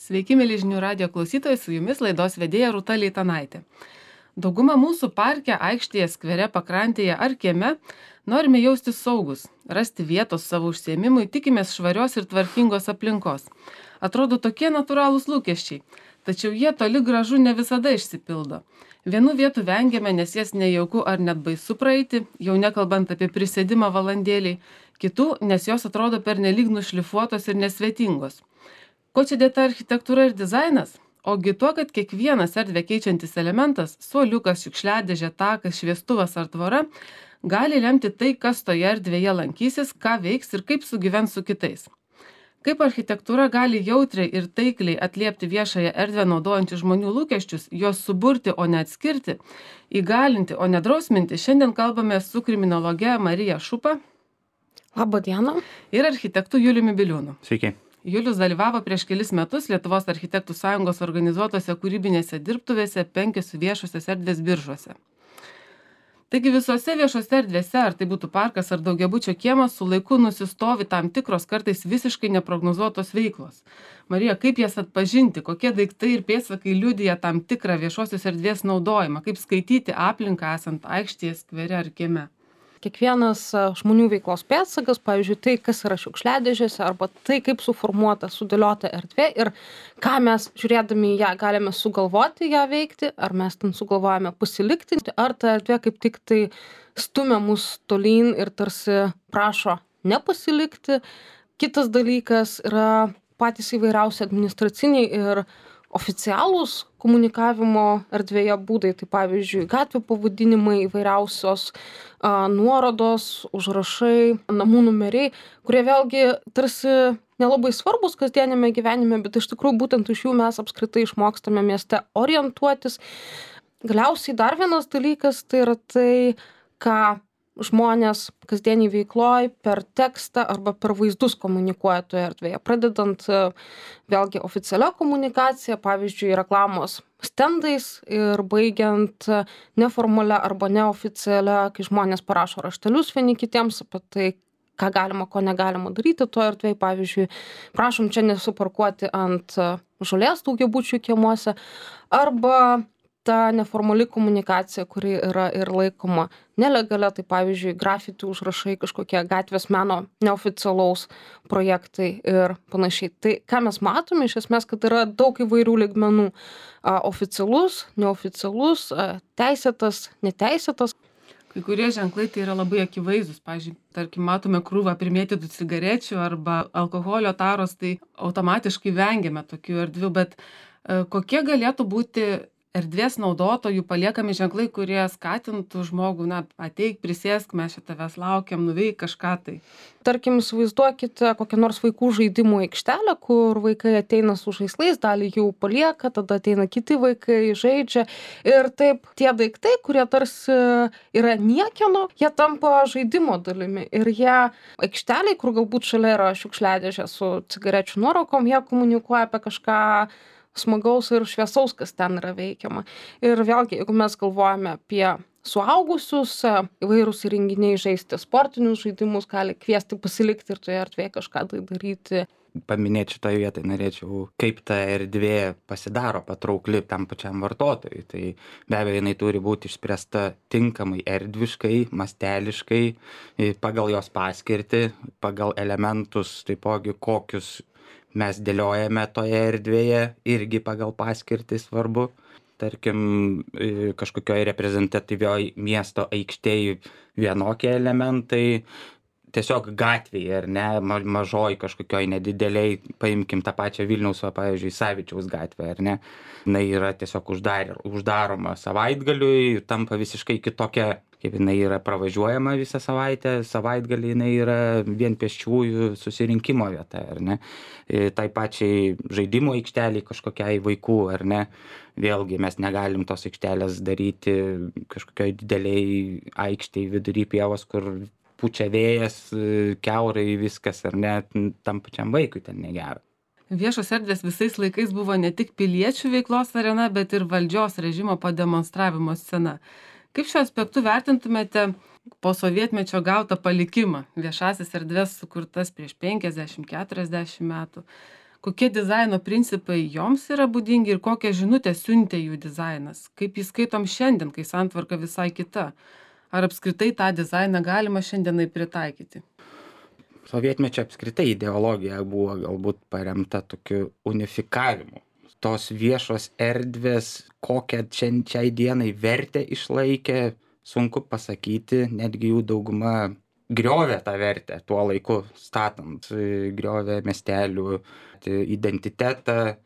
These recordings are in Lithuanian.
Sveiki, mėly žinių radijo klausytojai, su jumis laidos vedėja Rūta Leitanaitė. Dauguma mūsų parke, aikštėje, skvere, pakrantėje ar kieme norime jaustis saugus, rasti vietos savo užsiėmimui, tikimės švarios ir tvarkingos aplinkos. Atrodo tokie natūralūs lūkesčiai, tačiau jie toli gražu ne visada išsipildo. Vienų vietų vengiame, nes jas nejauku ar net baisu praeiti, jau nekalbant apie prisėdimą valandėliai, kitų, nes jos atrodo pernelyg nušlifuotos ir nesvetingos. Ko čia dėta architektūra ir dizainas? Ogi tuo, kad kiekvienas erdvę keičiantis elementas, suoliukas, šiukšliadėžė, takas, šviestuvas ar tvora, gali lemti tai, kas toje erdvėje lankysis, ką veiks ir kaip sugyvens su kitais. Kaip architektūra gali jautriai ir taikliai atliepti viešąją erdvę naudojančių žmonių lūkesčius, juos suburti, o ne atskirti, įgalinti, o ne drausminti, šiandien kalbame su kriminologe Marija Šupa. Labą dieną. Ir architektu Juliumi Biliūnu. Sveiki. Julius dalyvavo prieš kelis metus Lietuvos architektų sąjungos organizuotose kūrybinėse dirbtuvėse 5 viešosios erdvės Biržuose. Taigi visose viešose erdvėse, ar tai būtų parkas ar daugiabučio kiemas, su laiku nusistovi tam tikros kartais visiškai neprognozuotos veiklos. Marija, kaip jas atpažinti, kokie daiktai ir pėdsakai liudija tam tikrą viešosios erdvės naudojimą, kaip skaityti aplinką esant aikštėje, skvere ar kieme? Kiekvienas žmonių veiklos pėdsakas, pavyzdžiui, tai, kas yra šiukšliadėžėse, arba tai, kaip suformuota, sudėliota erdvė ir ką mes žiūrėdami į ją galime sugalvoti ją veikti, ar mes ten sugalvojame pasilikti, ar ta erdvė kaip tik tai stumia mus tolyn ir tarsi prašo nepasilikti. Kitas dalykas yra patys įvairiausi administraciniai ir oficialūs komunikavimo erdvėje būdai, tai pavyzdžiui, gatvių pavadinimai, įvairiausios nuorodos, užrašai, namų numeriai, kurie vėlgi tarsi nelabai svarbus kasdienėme gyvenime, bet iš tikrųjų būtent iš jų mes apskritai išmokstame mieste orientuotis. Galiausiai dar vienas dalykas tai yra tai, ką žmonės kasdieniai veikloj per tekstą arba per vaizdus komunikuoja toje erdvėje. Pradedant vėlgi oficialia komunikacija, pavyzdžiui, reklamos stendais ir baigiant neformalia arba neoficialia, kai žmonės parašo raštelius vieni kitiems apie tai, ką galima, ko negalima daryti toje erdvėje. Pavyzdžiui, prašom čia nesuparkuoti ant žolės daugiabučių kiemuose, arba ta neformali komunikacija, kuri yra ir laikoma nelegalia, tai pavyzdžiui, grafiti užrašai, kažkokie gatvės meno neoficialaus projektai ir panašiai. Tai ką mes matome iš esmės, kad yra daug įvairių lygmenų. Oficialus, neoficialus, teisėtas, neteisėtas. Kai kurie ženklai tai yra labai akivaizdus. Pavyzdžiui, tarkim, matome krūvą primėtytų cigarečių arba alkoholio taros, tai automatiškai vengiame tokių erdvių, bet kokie galėtų būti erdvės naudotojų paliekami ženklai, kurie skatintų žmogų, ateik, prisėsk, mes čia tavęs laukiam, nuveik kažką tai. Tarkim, įsivaizduokite kokią nors vaikų žaidimų aikštelę, kur vaikai ateina su žaislais, dalį jų palieka, tada ateina kiti vaikai, žaidžia. Ir taip tie daiktai, kurie tarsi yra niekieno, jie tampa žaidimo dalimi. Ir jie aikšteliai, kur galbūt šalia yra šiukšliadėžė su cigarečių nuorūkom, jie komunikuoja apie kažką smagaus ir šviesaus, kas ten yra veikiama. Ir vėlgi, jeigu mes galvojame apie suaugusius, įvairūs įrenginiai žaisti sportinius žaidimus, gali kviesti pasilikti ir toje erdvėje kažką tai daryti. Paminėti šitoje vietoje norėčiau, kaip ta erdvė pasidaro patraukli tam pačiam vartotojui. Tai be abejo, jinai turi būti išspręsta tinkamai erdviškai, masteliškai, pagal jos paskirtį, pagal elementus, taipogi kokius mes dėliojame toje erdvėje, irgi pagal paskirtį svarbu. Tarkim, kažkokioj reprezentatyvioj miesto aikštėj vienokie elementai, tiesiog gatvėje, ar ne, mažoj kažkokioj nedideliai, paimkim tą pačią Vilniaus, pavyzdžiui, Savičiaus gatvę, ar ne, jinai yra tiesiog uždaroma savaitgaliui, tampa visiškai kitokia, kaip jinai yra pravažiuojama visą savaitę, savaitgalį jinai yra vien pėsčiųjų susirinkimo vieta, ar ne, tai pačiai žaidimo aikšteliai kažkokiai vaikų, ar ne, vėlgi mes negalim tos aikštelės daryti kažkokioj dideliai aikštėj vidury pievos, kur pučia vėjas, kiaurai viskas, ar ne, tam pačiam vaikui ten negera. Viešos erdvės visais laikais buvo ne tik piliečių veiklos arena, bet ir valdžios režimo pademonstravimo scena. Kaip šiuo aspektu vertintumėte po sovietmečio gautą palikimą, viešasis erdvės sukurtas prieš 50-40 metų? kokie dizaino principai joms yra būdingi ir kokią žinutę siuntė jų dizainas, kaip jį skaitom šiandien, kai santvarka visai kita. Ar apskritai tą dizainą galima šiandienai pritaikyti? Sovietmečio apskritai ideologija buvo galbūt paremta tokiu unifikavimu. Tos viešos erdvės, kokią šiai dienai vertę išlaikė, sunku pasakyti, netgi jų dauguma griovė tą vertę tuo laiku statant, griovė miestelių identitetą.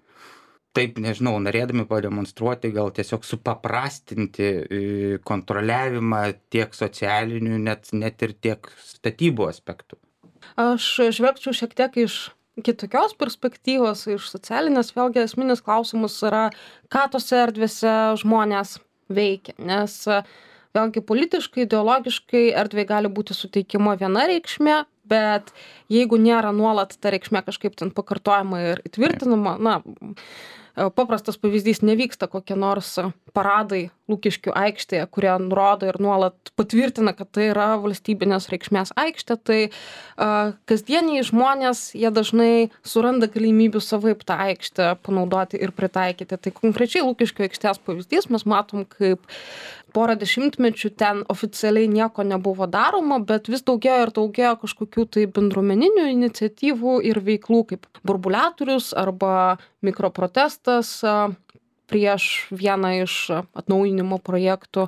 Taip, nežinau, norėdami pademonstruoti, gal tiesiog supaprastinti kontroliavimą tiek socialinių, net ir tiek statybų aspektų. Aš žvelgčiau šiek tiek iš kitokios perspektyvos, iš socialinės, vėlgi esminis klausimas yra, ką tose erdvėse žmonės veikia, nes vėlgi politiškai, ideologiškai erdvė gali būti suteikima viena reikšmė, bet jeigu nėra nuolat ta reikšmė kažkaip ten pakartojama ir įtvirtinama, paprastas pavyzdys, nevyksta kokie nors paradai Lukiškių aikštėje, kurie nurodo ir nuolat patvirtina, kad tai yra valstybinės reikšmės aikštė, tai kasdieniai žmonės, jie dažnai suranda galimybių savaip tą aikštę panaudoti ir pritaikyti. Tai konkrečiai Lukiškių aikštės pavyzdys, mes matom, kaip porą dešimtmečių ten oficialiai nieko nebuvo daroma, bet vis daugėjo kažkokių tai bendruomeninių iniciatyvų ir veiklų, kaip burbuliatorius arba mikroprotestas prieš vieną iš atnaujinimo projektų,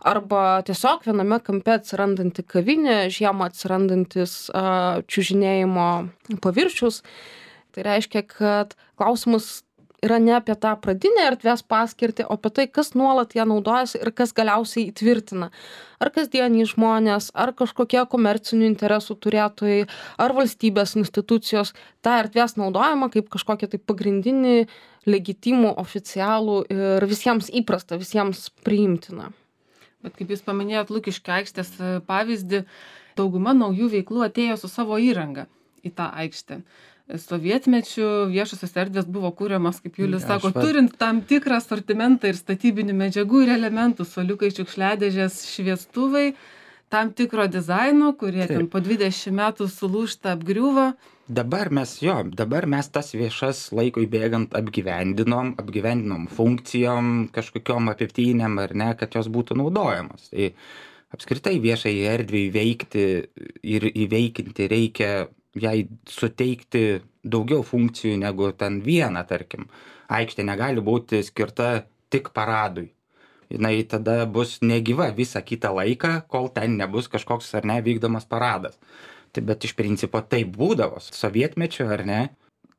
arba tiesiog viename kampe atsirandanti kavinė, žiemą atsirandantis čiužinėjimo paviršius. Tai reiškia, kad klausimas yra ne apie tą pradinę erdvės paskirtį, o apie tai, kas nuolat ją naudojasi ir kas galiausiai įtvirtina. Ar kasdieniai žmonės, ar kažkokie komercinių interesų turėtojai, ar valstybės institucijos tą erdvės naudojama kaip kažkokie tai pagrindinį, legitimų, oficialų ir visiems įprasta, visiems priimtina. Bet kaip jūs paminėjot Lukiškių aikštės pavyzdį, dauguma naujų veiklų atėjo su savo įranga į tą aikštę. Sovietmečiu viešosios erdvės buvo kūriamas, kaip Julius sako, turint tam tikrą asortimentą ir statybinių medžiagų ir elementų, suoliukai, šiukšliadėžės, šviestuvai, tam tikro dizaino, kurie ten po 20 metų sulūžta, apgriuvo. Dabar mes tas viešas laikui bėgant apgyvendinom funkcijom, kažkokiom apiptynėm ar ne, kad jos būtų naudojamos. Tai apskritai viešai erdvei veikti ir įveikinti reikia jai suteikti daugiau funkcijų negu ten vieną, tarkim. Aikštė negali būti skirta tik paradui. Jinai tada bus negyva visą kitą laiką, kol ten nebus kažkoks ar ne vykdomas paradas. Bet iš principo taip būdavo sovietmečiu, ar ne?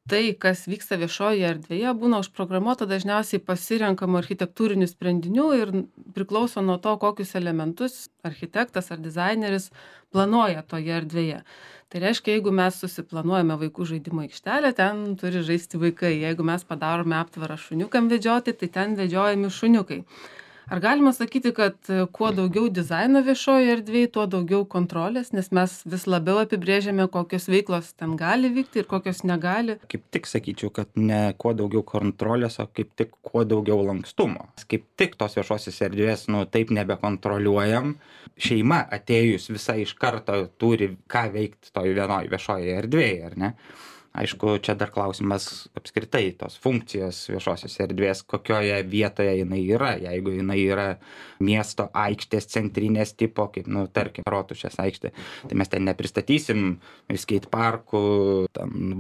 Tai, kas vyksta viešoje erdvėje, būna užprogramuota dažniausiai pasirenkamų architektūrinių sprendinių ir priklauso nuo to, kokius elementus architektas ar dizaineris planuoja toje erdvėje. Tai reiškia, jeigu mes susiplanuojame vaikų žaidimo aikštelę, ten turi žaisti vaikai. Jeigu mes padarome aptvarą šuniukam vedžioti, tai ten vedžiojami šuniukai. Ar galima sakyti, kad kuo daugiau dizaino viešoje erdvėje, tuo daugiau kontrolės, nes mes vis labiau apibrėžiame, kokios veiklos ten gali vykti ir kokios negali? Kaip tik sakyčiau, kad ne kuo daugiau kontrolės, o kaip tik kuo daugiau lankstumo. Kaip tik tos viešosios erdvės, taip nebekontroliuojam. Šeima atėjus visai iš karto turi ką veikti toj vienoj viešoje erdvėje, ar ne? Aišku, čia dar klausimas apskritai tos funkcijos viešosios erdvės, kokioje vietoje jinai yra. Jeigu jinai yra miesto aikštės centrinės tipo, kaip, tarkim, Rotušės aikštė, tai mes ten nepristatysim skate parkų,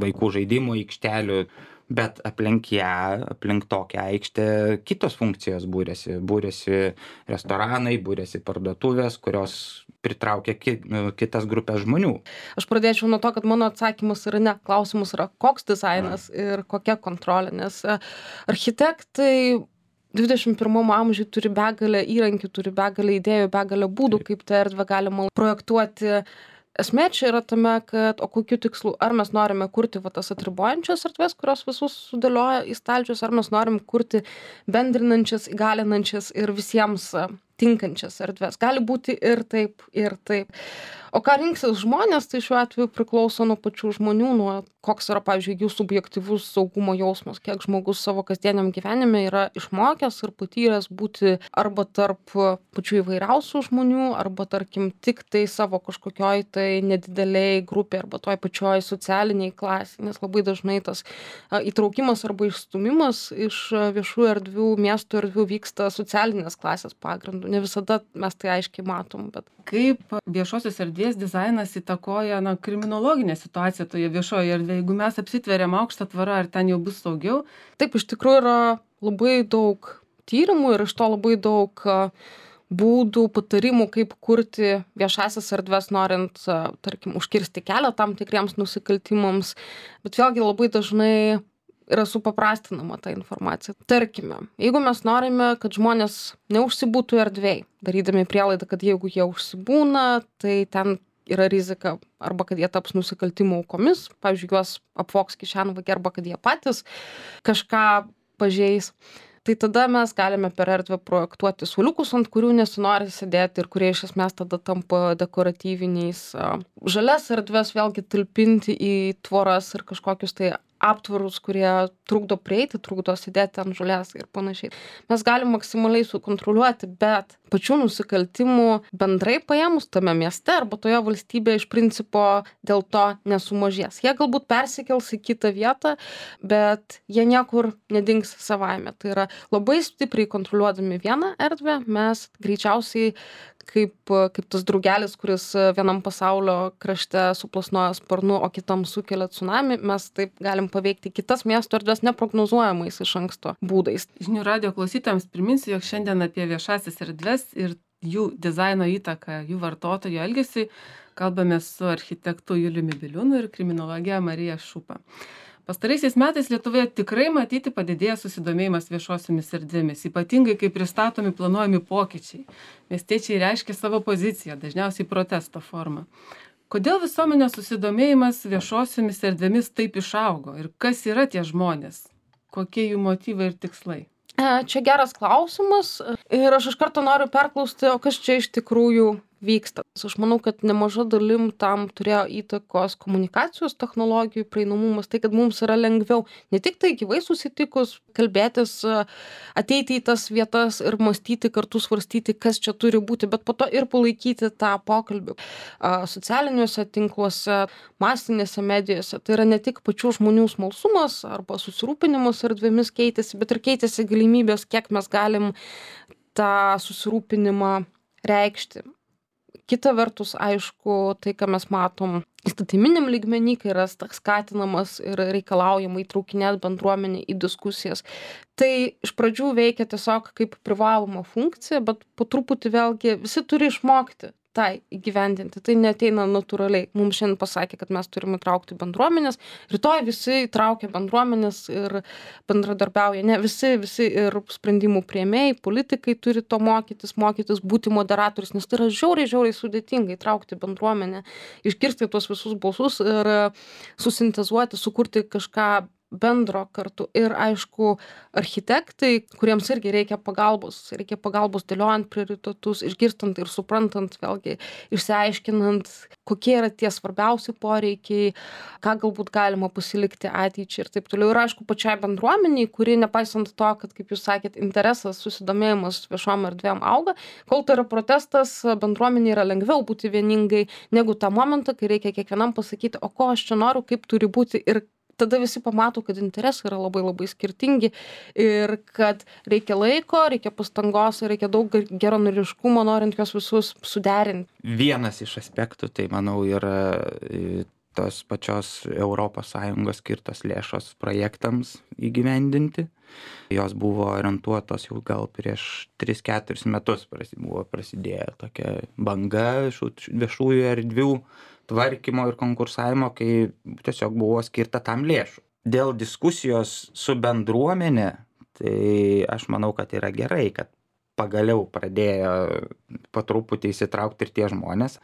vaikų žaidimų aikštelių, bet aplink ją, aplink tokią aikštę kitos funkcijos būrėsi. Būrėsi restoranai, būrėsi parduotuvės, kurios pritraukia kitas grupės žmonių. Aš pradėčiau nuo to, kad mano atsakymas yra ne, klausimas yra koks dizainas ir kokia kontrolė, nes architektai 21 amžiui turi begalę įrankių, turi begalę idėjų, begalę būdų, kaip tą erdvę galima projektuoti. Esmė čia yra tame, kad o kokiu tikslu, ar mes norime kurti tas atribojančias erdvės, kurios visus sudėlioja į stalčius, ar mes norim kurti bendrinančias, įgalinančias ir visiems tinkančias erdves. Gali būti ir taip, ir taip. O ką rinksis žmonės, tai šiuo atveju priklauso nuo pačių žmonių, nuo koks yra, pavyzdžiui, jų subjektyvus saugumo jausmas, kiek žmogus savo kasdieniam gyvenime yra išmokęs ir patyręs būti arba tarp pačių įvairiausių žmonių, arba tarkim tik tai savo kažkokioj tai nedideliai grupė arba toj pačioj socialiniai klasei, nes labai dažnai tas įtraukimas arba išstumimas iš viešų erdvių, miesto erdvių vyksta socialinės klasės pagrindu. Ne visada mes tai aiškiai matom, bet Kaip viešosios erdvės dizainas įtakoja kriminologinę situaciją toje viešoje erdvėje? Jeigu mes apsitveriam aukštą tvorą, ar ten jau bus saugiau? taip, iš tikrųjų yra labai daug tyrimų ir iš to labai daug būdų, patarimų, kaip kurti viešasias erdves, norint, tarkim, užkirsti kelią tam tikriems nusikaltimams. Bet vėlgi labai dažnai yra supaprastinama ta informacija. Tarkime, jeigu mes norime, kad žmonės neužsibūtų erdvėj, darydami prielaidą, kad jeigu jie užsibūna, tai ten yra rizika arba kad jie taps nusikaltimų aukomis, pavyzdžiui, juos apvogs kišenvagiai arba kad jie patys kažką pažeis. Tai tada mes galime per erdvę projektuoti suoliukus, ant kurių nesinori sėdėti ir kurie iš esmės tada tampa dekoratyviniais. Žalias erdves vėlgi talpinti į tvoras ir kažkokius tai aptvarus, kurie trukdo prieiti, trukdo sėdėti ant žolės ir panašiai. Mes galim maksimaliai sukontroliuoti, bet pačių nusikaltimų bendrai paėmus tame mieste arba toje valstybėje iš principo dėl to nesumažės. Jie galbūt persikels į kitą vietą, bet jie niekur nedings savaime. Tai yra labai stipriai kontroliuodami vieną erdvę, mes greičiausiai kaip tas drugelis, kuris vienam pasaulio krašte suplasnoja sparnu, o kitam sukelia tsunami, mes taip galim paveikti kitas miesto erdves neprognozuojamais iš anksto būdais. Žinių radijo klausytojams priminsiu, jog šiandien apie viešasis erdves ir jų dizaino įtaką jų vartotojų elgesiui kalbame su architektu Juliumi Biliūnu ir kriminologe Marija Šupa. Pastaraisiais metais Lietuvoje tikrai matyti padidėja susidomėjimas viešosiomis erdvėmis, ypatingai kai pristatomi planuojami pokyčiai. Miestiečiai reiškia savo poziciją, dažniausiai protesto formą. Kodėl visuomenės susidomėjimas viešosiomis erdvėmis taip išaugo ir kas yra tie žmonės? Kokie jų motyvai ir tikslai? Čia geras klausimas ir aš iš karto noriu perklausti, o kas čia iš tikrųjų vyksta. Aš manau, kad nemaža dalim tam turėjo įtakos komunikacijos technologijų prieinamumas, tai kad mums yra lengviau ne tik tai gyvai susitikus, kalbėtis, ateiti į tas vietas ir mąstyti kartu, svarstyti, kas čia turi būti, bet po to ir palaikyti tą pokalbį. Socialiniuose tinkluose, masinėse medijose, tai yra ne tik pačių žmonių smalsumas arba susirūpinimas erdvėmis keitėsi, bet ir keitėsi galimybės, kiek mes galim tą susirūpinimą reikšti. Kita vertus, aišku, tai, ką mes matom įstatyminiam lygmenį, kai yra skatinamas ir reikalaujama įtraukinėti bendruomenę į diskusijas. Tai iš pradžių veikia tiesiog kaip privaloma funkcija, bet po truputį vėlgi visi turi išmokti tai įgyvendinti. Tai neateina natūraliai. Mums šiandien pasakė, kad mes turime įtraukti bendruomenės. Rytoj visi įtraukia bendruomenės ir bendradarbiauja. Ne visi ir sprendimų priėmėjai, politikai turi to mokytis, būti moderatorius, nes tai yra žiauriai sudėtinga įtraukti bendruomenę, išgirsti tuos visus balsus ir susintezuoti, sukurti kažką bendro kartu. Ir aišku, architektai, kuriems irgi reikia pagalbos dėliojant prioritetus, išgirstant ir suprantant, vėlgi išsiaiškinant, kokie yra tie svarbiausi poreikiai, ką galbūt galima pasilikti ateičiai ir taip toliau. Ir aišku, pačiai bendruomeniai, kuri nepaisant to, kad, kaip jūs sakėt, interesas, susidomėjimas viešom erdvėm auga, kol tai yra protestas, bendruomeniai yra lengviau būti vieningai negu tą momentą, kai reikia kiekvienam pasakyti, o ko aš čia noriu, kaip turi būti ir tada visi pamato, kad interesai yra labai skirtingi ir kad reikia laiko, reikia pastangos, reikia daug geranoriškumo, norint juos visus suderinti. Vienas iš aspektų, tai manau, yra tos pačios ES skirtos lėšos projektams įgyvendinti. Jos buvo orientuotos jau gal prieš 3-4 metus buvo prasidėję tokia banga viešųjų erdvių tvarkymo ir konkursavimo, kai tiesiog buvo skirta tam lėšų. Dėl diskusijos su bendruomenė, tai aš manau, kad yra gerai, kad pagaliau pradėjo po truputį įsitraukti ir tie žmonės.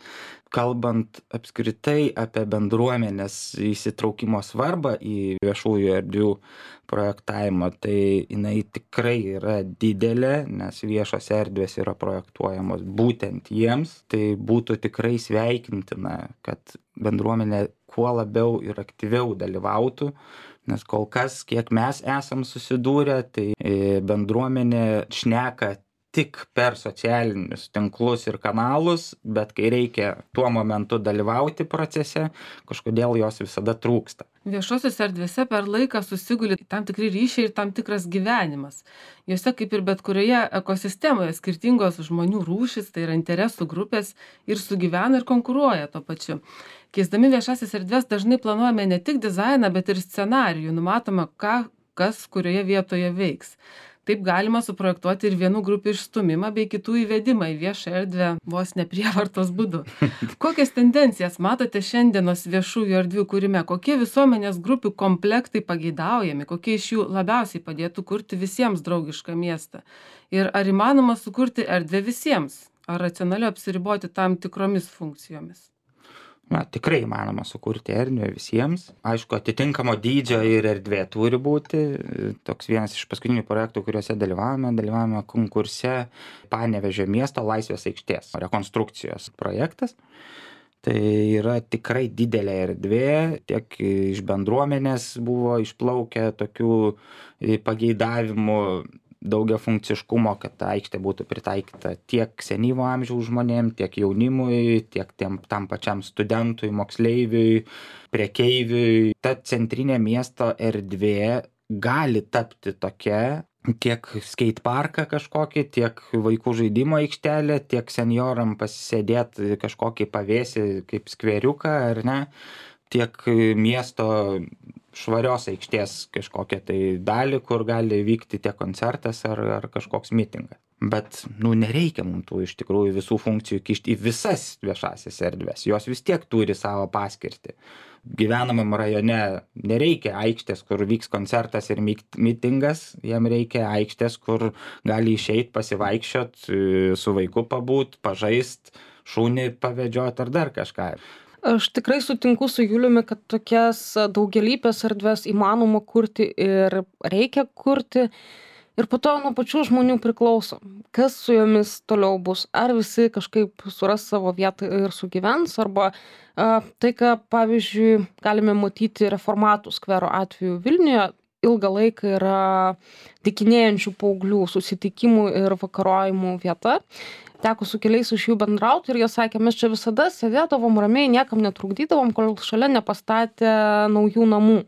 kalbant apskritai apie bendruomenės įsitraukimo svarbą į viešųjų erdvių projektavimą, tai jinai tikrai yra didelė, nes viešos erdvės yra projektuojamos būtent jiems. Tai būtų tikrai sveikintina, kad bendruomenė kuo labiau ir aktyviau dalyvautų, nes kol kas, kiek mes esam susidūrę, tai bendruomenė šneka tik per socialinius tinklus ir kanalus, bet kai reikia tuo momentu dalyvauti procese, kažkodėl jos visada trūksta. Viešosios erdvėse per laiką susiguli tam tikri ryšiai ir tam tikras gyvenimas. Jose, kaip ir bet kurioje ekosistemoje, skirtingos žmonių rūšys, tai yra interesų grupės, ir sugyvena ir konkuruoja tuo pačiu. Keisdami viešasis erdvės dažnai planuojame ne tik dizainą, bet ir scenarijų, numatoma, kas kurioje vietoje veiks. Taip galima suprojektuoti ir vienų grupių išstumimą bei kitų įvedimą į viešą erdvę vos ne prievartos būdu. Kokias tendencijas matote šiandienos viešųjų erdvių kūrime? Kokie visuomenės grupių komplektai pageidaujami? Kokie iš jų labiausiai padėtų kurti visiems draugišką miestą? Ir ar įmanoma sukurti erdvę visiems? Ar racionaliau apsiriboti tam tikromis funkcijomis? Na, tikrai įmanoma sukurti erdvę visiems. Aišku, atitinkamo dydžio ir erdvė turi būti. Toks vienas iš paskutinių projektų, kuriuose dalyvavome konkurse Panevėžio miesto Laisvės aikštės rekonstrukcijos projektas. Tai yra tikrai didelė erdvė, tiek iš bendruomenės buvo išplaukę tokių pageidavimų, daugiafunkciškumo, kad ta aikštė būtų pritaikyta tiek senyvo amžiaus žmonėm, tiek jaunimui, tiek tam pačiam studentui, moksleiviui, prekeiviui. Ta centrinė miesto erdvė gali tapti tokia, tiek skateparką kažkokį, tiek vaikų žaidimo aikštelę, tiek senjoram pasisėdėti kažkokį pavėsį kaip skveriuką, ar ne, tiek miesto švarios aikštės kažkokią tai dalį, kur gali vykti tiek koncertas ar kažkoks mitingas. Bet, nereikia mums tų iš tikrųjų visų funkcijų kišti į visas viešasias erdves. Jos vis tiek turi savo paskirtį. Gyvenamam rajone nereikia aikštės, kur vyks koncertas ir mitingas, jam reikia aikštės, kur gali išeit pasivaikščiot, su vaiku pabūt, pažaist, šunį pavedžiot ar dar kažką. Aš tikrai sutinku su Juliumi, kad tokias daugialypės erdves įmanoma kurti ir reikia kurti. Ir po to nuo pačių žmonių priklauso, kas su jomis toliau bus. Ar visi kažkaip suras savo vietą ir sugyvens, arba tai, ką, pavyzdžiui, galime matyti Reformatų skvero atveju Vilniuje, ilgą laiką yra dykinėjančių paauglių susitikimų ir vakarojimų vieta. Teko su keliais iš jų bendrauti ir jie sakė, mes čia visada sėdėdavom ramiai, niekam netrukdydavom, kol šalia nepastatė naujų namų.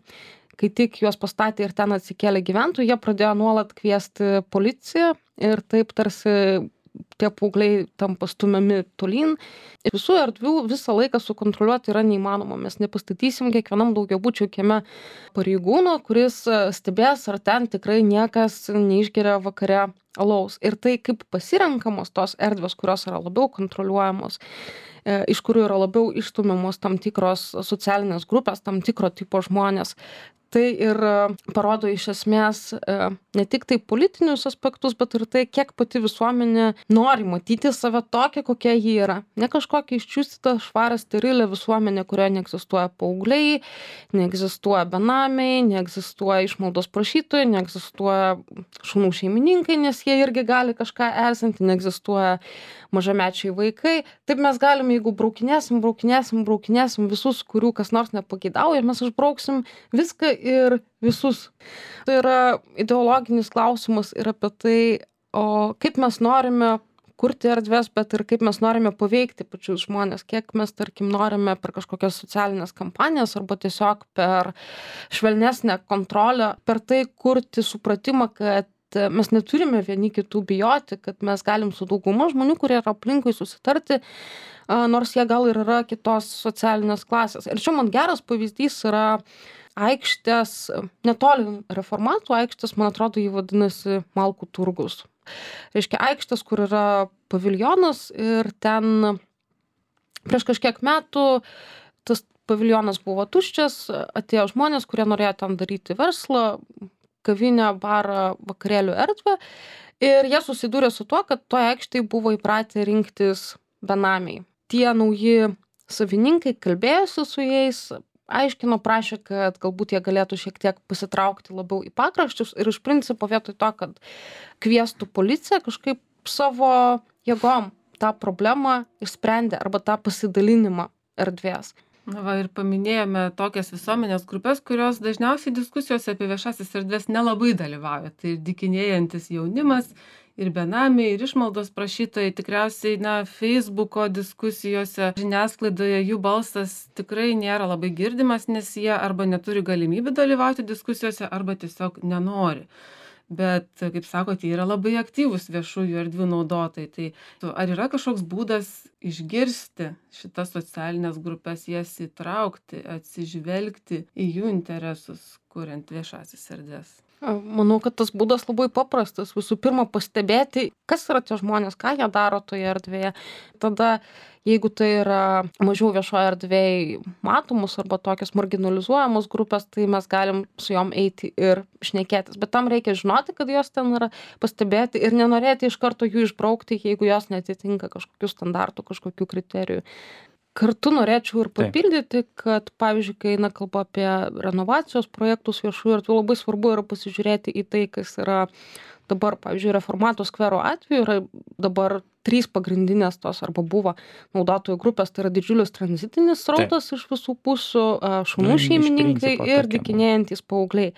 Kai tik juos pastatė ir ten atsikėlė gyventojai, jie pradėjo nuolat kviesti policiją ir taip tarsi tie paaugliai tampa stumiami tolyn. Visų erdvių visą laiką sukontroliuoti yra neįmanoma. Mes nepastatysim kiekvienam daugiabučio kieme pareigūno, kuris stebės, ar ten tikrai niekas neišgeria vakare alaus. Ir tai kaip pasirenkamos tos erdvės, kurios yra labiau kontroliuojamos, iš kurių yra labiau išstumiamos tam tikros socialinės grupės, tam tikro tipo žmonės. Tai ir parodo iš esmės ne tik tai politinius aspektus, bet ir tai, kiek pati visuomenė nori matyti save tokią, kokia ji yra. Ne kažkokia iščiustyta, švarą, sterilę visuomenę, kurioje neegzistuoja paaugliai, neegzistuoja benamiai, neegzistuoja išmaldos prašytojai, neegzistuoja šunų šeimininkai, nes jie irgi gali kažką erzinti, neegzistuoja mažamečiai vaikai. Taip mes galime, jeigu braukinėsim visus, kurių kas nors nepageidauja, mes išbrauksim viską ir visus. Tai yra ideologinis klausimas ir apie tai, o kaip mes norime kurti erdvės, bet ir kaip mes norime paveikti pačius žmonės, kiek mes, tarkim, norime per kažkokias socialinės kampanijas arba tiesiog per švelnesnę kontrolę, per tai kurti supratimą, kad mes neturime vieni kitų bijoti, kad mes galim su dauguma žmonių, kurie yra aplinkui, susitarti, nors jie gal ir yra kitos socialinės klasės. Ir čia man geras pavyzdys yra aikštės, netoli Reformatų aikštės, man atrodo, jį vadinasi Malkų turgus. Reiškia aikštės, kur yra paviljonas ir ten prieš kažkiek metų tas paviljonas buvo tuščias, atėjo žmonės, kurie norėjo ten daryti verslą, kavinę, barą, vakarėlių erdvę ir jie susidūrė su tuo, kad toje aikštėje buvo įpratę rinktis benamiai. Tie nauji savininkai kalbėjosi su jais, aiškino, prašė, kad galbūt jie galėtų šiek tiek pasitraukti labiau į pakraščius ir iš principo vietoj to, kad kviestų policiją, kažkaip savo jėgom tą problemą išsprendė arba tą pasidalinimą erdvės. Na va, ir paminėjome tokias visuomenės grupės, kurios dažniausiai diskusijose apie viešasis erdvės nelabai dalyvauja. Tai ir dykinėjantis jaunimas, ir benamiai, ir išmaldos prašytojai. Tikriausiai, Facebooko diskusijose, žiniasklaidoje jų balsas tikrai nėra labai girdimas, nes jie arba neturi galimybių dalyvauti diskusijose, arba tiesiog nenori. Bet, kaip sakote, yra labai aktyvūs viešųjų erdvių naudotojai. Tai ar yra kažkoks būdas išgirsti šitas socialinės grupės, jas įtraukti, atsižvelgti į jų interesus, kuriant viešasis erdves? Manau, kad tas būdas labai paprastas. Visų pirma, pastebėti, kas yra tie žmonės, ką jie daro toje erdvėje. Tada, jeigu tai yra mažiau viešoje erdvėje matomus arba tokios marginalizuojamos grupės, tai mes galim su jom eiti ir šnekėtis. Bet tam reikia žinoti, kad jos ten yra, pastebėti ir nenorėti iš karto jų išbraukti, jeigu jos netitinka kažkokių standartų, kažkokių kriterijų. Kartu norėčiau ir papildyti, kad, pavyzdžiui, kai eina kalba apie renovacijos projektus viešųjų erdvių, labai svarbu yra pasižiūrėti į tai, kas yra dabar, pavyzdžiui, Reformatų skvero atveju yra dabar 3 pagrindinės tos arba buvo naudotojų grupės, tai yra didžiulis tranzitinis srautas iš visų pusių, šunų šeimininkai ir dykinėjantys paaugliai.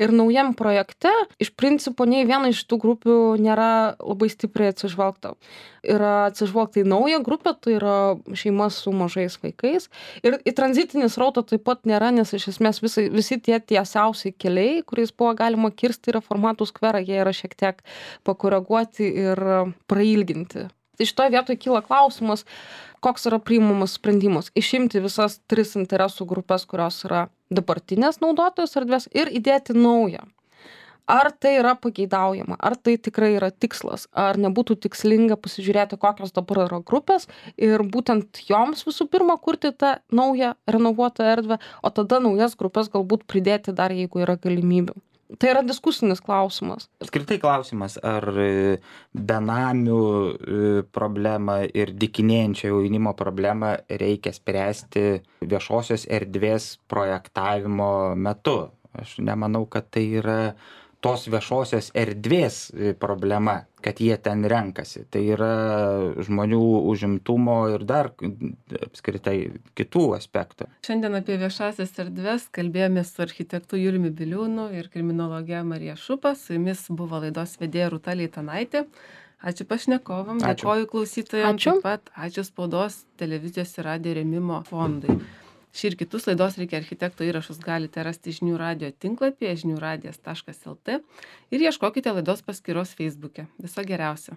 Ir naujam projekte iš principo nei viena iš tų grupių nėra labai stipriai atsižvelgta. Yra atsižvelgta į naują grupę, tai yra šeimas su mažais vaikais. Ir į tranzitinį srautą taip pat nėra, nes iš esmės visi tie tiesiausiai keliai, kuriais buvo galima kirsti Reformatų skverą, jie yra šiek tiek pakoreguoti ir prailginti. Tai šitoje vietoje kyla klausimas, koks yra priimamas sprendimas. Išimti visas 3 interesų grupės, kurios yra dabartinės naudotojos erdvės ir įdėti naują. Ar tai yra pageidaujama, ar tai tikrai yra tikslas, ar nebūtų tikslinga pasižiūrėti, kokios dabar yra grupės ir būtent joms visų pirma kurti tą naują renovuotą erdvę, o tada naujas grupės galbūt pridėti dar, jeigu yra galimybių. Tai yra diskusinis klausimas. Apskritai klausimas, ar benamių problemą ir dykinėjančio jaunimo problemą reikia spręsti viešosios erdvės projektavimo metu. Aš nemanau, kad tai yra tos viešosios erdvės problema, kad jie ten renkasi. Tai yra žmonių užimtumo ir dar apskritai kitų aspektų. Šiandien apie viešasias erdves kalbėjomės su architektu Juliumi Biliūnu ir kriminologe Marija Šupa. Su jumis buvo laidos vedėja Rūta Leitanaitė. Ačiū pašnekovam, dėkoju klausytojams. Taip pat ačiū Spaudos, televizijos ir radijo rėmimo fondui. Šį ir kitus laidos Reikia architekto įrašus galite rasti žinių radijo tinklapyje žiniųradijas.lt ir ieškokite laidos paskyros Facebook'e. Viso geriausio.